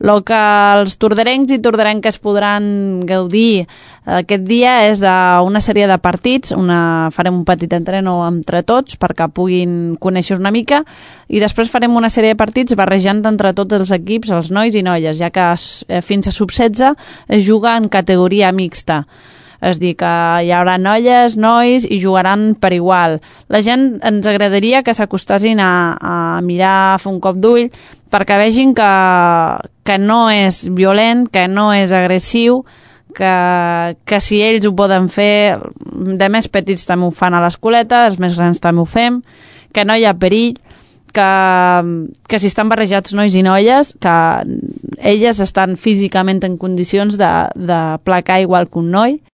El que els torderencs i torderenques podran gaudir aquest dia és d'una sèrie de partits, farem un petit entreno entre tots perquè puguin conèixer una mica i després farem una sèrie de partits barrejant entre tots els equips, els nois i noies, ja que fins a sub-16 es juga en categoria mixta. És dir, que hi haurà noies, nois i jugaran per igual. La gent ens agradaria que s'acostessin a mirar, a fer un cop d'ull, perquè vegin que no és violent, que no és agressiu, que si ells ho poden fer, de més petits també ho fan a l'escoleta, els més grans també ho fem, que no hi ha perill, que si estan barrejats nois i noies, que elles estan físicament en condicions de placar igual que un noi,